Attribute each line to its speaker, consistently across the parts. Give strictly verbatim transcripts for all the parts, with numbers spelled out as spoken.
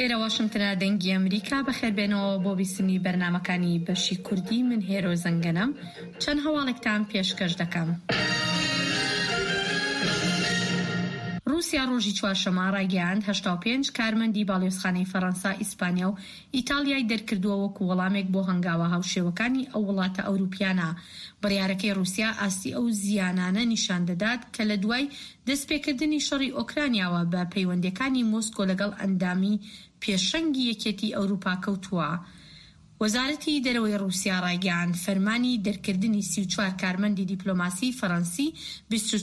Speaker 1: ئێرە واشنگتنە، دەنگی ئەمریکا. بەخێربێنەوە بۆ بیستنی بەرنامەکانی بەشی کوردی. من هێرۆ زەنگەنەم، چەند هەواڵێکتان پێشکەش دەکەم. ڕووسیا ڕۆژی چوارشەممە ڕایگەیاند هەشتا و پێنج کارمەندی باڵیۆزخانەی فەرەنسا، ئیسپانیا و ئیتاڵیای دەرکردووە وەکو وەڵامێک بۆ هەنگاوە هاوشێوەکانی ئەو وڵاتە ئەوروپیانە. بڕیارەکەی ڕووسیا ئاستی ئەو زیانانە نیشان دەدات کە لە دوای دەستپێکردنی شەڕی ئۆکرانیاوە بە پەیوەندییەکانی مۆسکۆ لەگەڵ ئەندامی پێشەنگی یەکێتی ئەوروپا کەوتووە. وەزارەتی دەرەوەی ڕووسیا ڕایگەیاند، فەرمانی دەرکردنی سی و چوار کارمەندی دیپلۆماسیی فەرەنسی، بیست و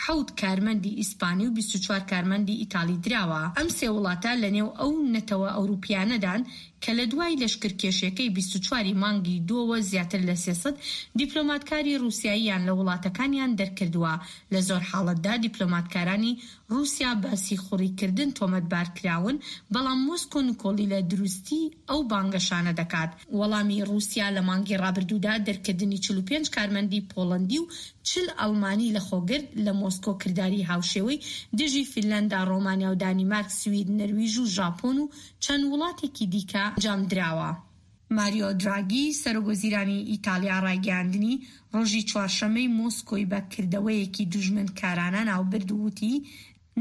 Speaker 1: حەوت کارمەندی ئیسپانی و بیست و چوار کارمەندی ئیتاڵی دراوە. ئەم سێ وڵاتە لەنێو ئەو نەتەوە ئەوروپییانەدان کە لە دوای لەشکرکێشیەکەی بیست و چوار ی مانگی دووەوە زیاتر لە سێ سەد دیپلۆماتکاری ڕووسیاییان لە وڵاتەکانیان دەرکردووە. لە زۆر حاڵەتدا دیپلۆماتکارانی ڕووسیا بە سیخوڕیکردن تۆمەتبارکراون، بەڵام مۆسکۆ نکۆڵی لە دروستی ئەو بانگەشانە دەکات. وەڵامی ڕووسیا لە مانگی ڕابردوودا دەرکردنی چل و پێنج کارمەندی پۆڵەندی و چل ئەڵمانی لەخۆگرت، لە مۆسکۆ کرداری هاوشێوەی دژی فینلەندا، ڕۆمانیا و دانیمارک، سوید، نەرویژ و ژاپۆن و چەند وڵاتێکی دیکە ئەنجامدراوە. ماریۆ دراگی، سەرۆکوەزیرانی ئیتاڵیا ڕایگەیاندنی ڕۆژی چوارشەممەی مۆسکۆی بە کردەوەیەکی دوژمنکارانە ناوبرد و وتی،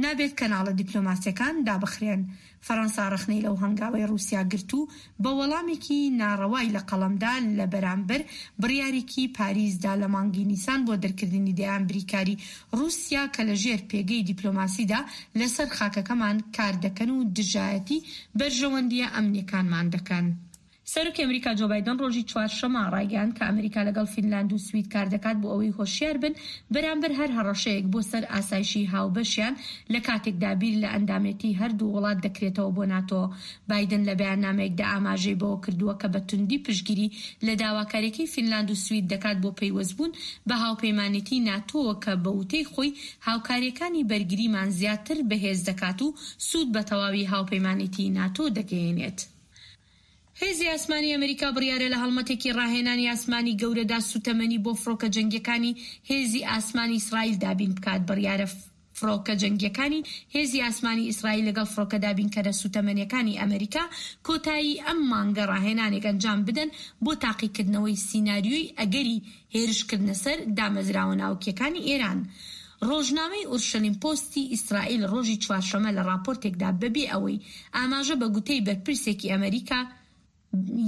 Speaker 1: نابێت کەناڵە دیپلۆماسییەکان دابخرێن. فەرەنسا ڕەخنەی لەو هەنگاوەی ڕووسیا گرت و بە وەڵامێکی ناڕەوای لە قەڵەمدا لە بەرامبەر بڕیارێکی پاریسدا لە مانگی نیسان بۆ دەرکردنی دەیان بریکاری ڕووسیا کە لە ژێر پێگەی دیپلۆماسیدا لەسەر خاکەکەمان کار دەکەن و دژایەتی بەرژەوەندییە ئەمنییەکانمان دەکەن. سەرۆکی ئەمریکا جۆ بایدن ڕۆژی چوارشەممە ڕایگەیاند کە ئەمریکا لەگەڵ فینلاند و سوید کاردەکات بۆ ئەوەی هۆشیار بن بەرامبەر هەر هەڕەشەیەک بۆ سەر ئاسایشی هاوبەشیان لە کاتێکدا بیر لە ئەندامێتی هەردوو وڵات دەکرێتەوە بۆ ناتۆ. بایدن لە بەیاننامەیەکدا ئاماژەی بەوە کردووە کە بە توندی پشتگیری لە داواکاریەکەی فینلاند و سوید دەکات بۆ پەیوەستبوون بە هاوپەیمانێتی ناتۆوە کە بە وتەی خۆی هاوکارییەکانی بەرگریمان زیاتر بەهێز دەکات و سوود بە تەواوی هاوپەیمانێتی ناتۆ دەگەیەنێت. هێزی ئاسمانی ئەمریکا بڕیارە لە هەڵمەتێکی ڕاهێنانی ئاسمانی گەورەدا سوتەمەنی بۆ فڕۆکە جەنگیەکانی هێزی ئاسمانی ئیسرائیل دابین بکات. بڕیارە فڕۆکە جەنگیەکانی هێزی ئاسمانی ئیسرائیل لەگەڵ فڕۆکە دابینکەرە سوتەمەنیەکانی ئەمریکا کۆتایی ئەم مانگە ڕاهێنانێک ئەنجام بدەن بۆ تاقیکردنەوەی سیناریۆی ئەگەری هێرشکردنە سەر دامەزراوە ناوکیەکانی ئێران. ڕۆژنامەی ئورشەلیم پۆستی ئیسرائیل ڕۆژی چوارشەممە لە ڕاپۆرتێکدا بەبێ ئەوەی ئاماژە بە گوتەی بەرپرسێکی ئەمریکا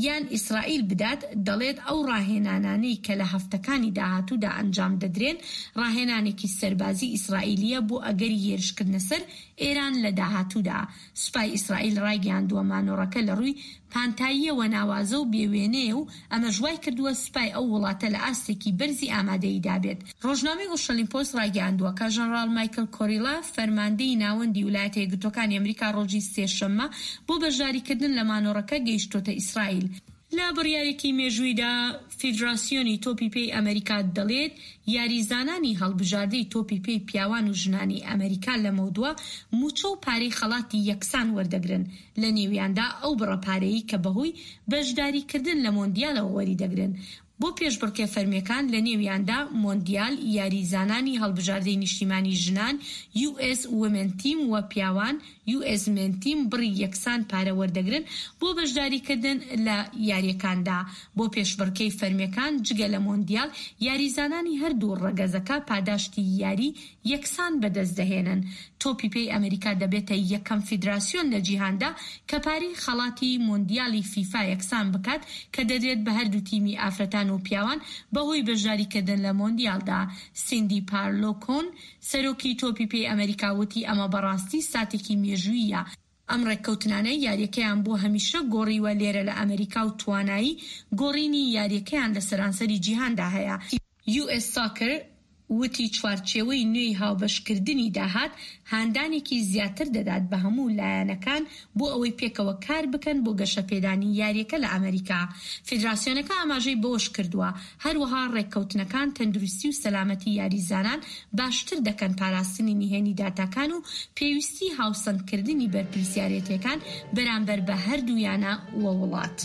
Speaker 1: یان ئیسرائیل بدات، دەڵێت ئەو ڕاهێنانانەی کە لە هەفتەکانی داهاتوودا ئەنجام دەدرێن، ڕاهێنانێکی سەربازی ئیسرائیلییە بۆ ئەگەری هێرشکردنە سەر ئێران لە داهاتوودا. سوپای ئیسرائیل ڕایگەیاندووە مانۆڕەکە لە ڕووی پانتاییەوە ناوازە و بێ وێنەیە و ئەمەش وایکردووە سوپای ئەو وڵاتە لە ئاستێکی بەرزی ئامادەییدا بێت. ڕۆژنامەی ئورشەلیم پۆست ڕایگەیاندووە کە ژەنڕاڵ مایکل کۆریلا، فەرماندەی ناوەندی ولایەتە یەکگرتووەکانی ئەمریکا ڕۆژی سێشەممە بۆ بەشداریکردن لە مانۆڕەکە گەیشتۆتە ئیسرائیل. لە بڕیارێکی مێژوویدا فیدراسیۆنی تۆپی پێی ئەمریکا دەڵێت یاریزانانی هەڵبژاردەی تۆپی پێی پیاوان و ژنانی ئەمریکا لەمەودوا مووچە و پارەی خەڵاتی یەکسان وەردەگرن، لە نێویاندا ئەو بڕە پارەیەی کە بەهۆی بەشداریکردن لە مۆندیالەوە وەریدەگرن. بۆ پێشبڕکێ فەرمییەکان، لە نێویاندا مۆندیال، یاریزانانی هەڵبژاردەی نیشتیمانی ژنان، U S Women Team، و پیاوان، U S Men Team، بڕی یەکسان پارە وەردەگرن بۆ بەشداریکردن لە یارییەکاندا. بۆ پێشبڕکێی فەرمییەکان جگە لە مۆندیال، یاریزانانی هەردوو ڕەگەزەکە پاداشتی یاری یەکسان بەدەست دەهێنن. تۆپی پێی ئەمریکا دەبێتە یەکەم فیدراسیۆن لە جیهاندا کە پارەی خەڵاتی مۆندیالی فیفا یەکسان بکات کە دەدرێت بە هەردوو تیمی ئافرەتان و پیاوان بەهۆی بەشداریکردن لە مۆندیالدا. سیندی پارلۆکۆن، سەرۆکی تۆپی پێی ئەمریکا وتی ئەمە بەڕاستی ساتێکی مێژووییە، ئەم ڕێککەوتنانە یاریەکەیان بۆ هەمیشە گۆڕیوە لێرە لە ئەمریکا و توانایی گۆڕینی یاریەکەیان لە سەرانسەری جیهاندا هەیە. U S Soccer وتی چوارچێوەی نوێی هاوبەشکردنی داهات هاندانێکی زیاتر دەدات بە هەموو لایەنەکان بۆ ئەوەی پێکەوە کار بکەن بۆ گەشەپێدانی یاریەکە لە ئەمریکا. فیدراسیۆنەکە ئاماژەی بەوەشکردووە، هەروەها ڕێککەوتنەکان تەندروستی و سەلامەتی یاریزانان باشتر دەکەن، پاراستنی نهێنی داتاکان و پێویستی هاوسەنگکردنی بەرپرسیارێتیەکان بەرامبەر بە هەردوو یانە و وڵات.